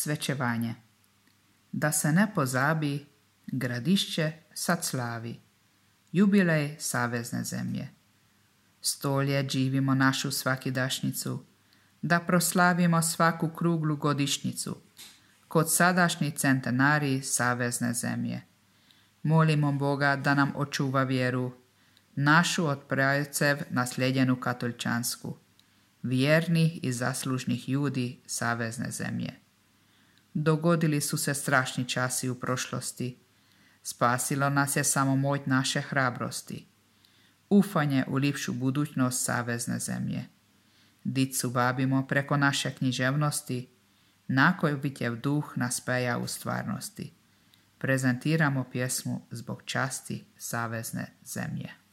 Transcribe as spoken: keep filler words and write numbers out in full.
Svečevanje. Da se ne pozabi, Gradišće sad slavi, jubilej savezne zemlje. Stolje živimo našu svakidašnjicu, da proslavimo svaku kruglu godišnjicu, kod sadašnji centenarij savezne zemlje. Molimo Boga da nam očuva vjeru, našu od prajcev nasljedjenu katoličansku, vjernih i zaslužnih ljudi savezne zemlje. Dogodili su se strašni časi u prošlosti, spasilo nas je samo moć naše hrabrosti, ufanje u lipšu budućnost savezne zemlje. Dicu vabimo preko naše književnosti, nakoj vitjev duh nas peja u stvarnosti. Prezentiramo pjesmu zbog časti savezne zemlje.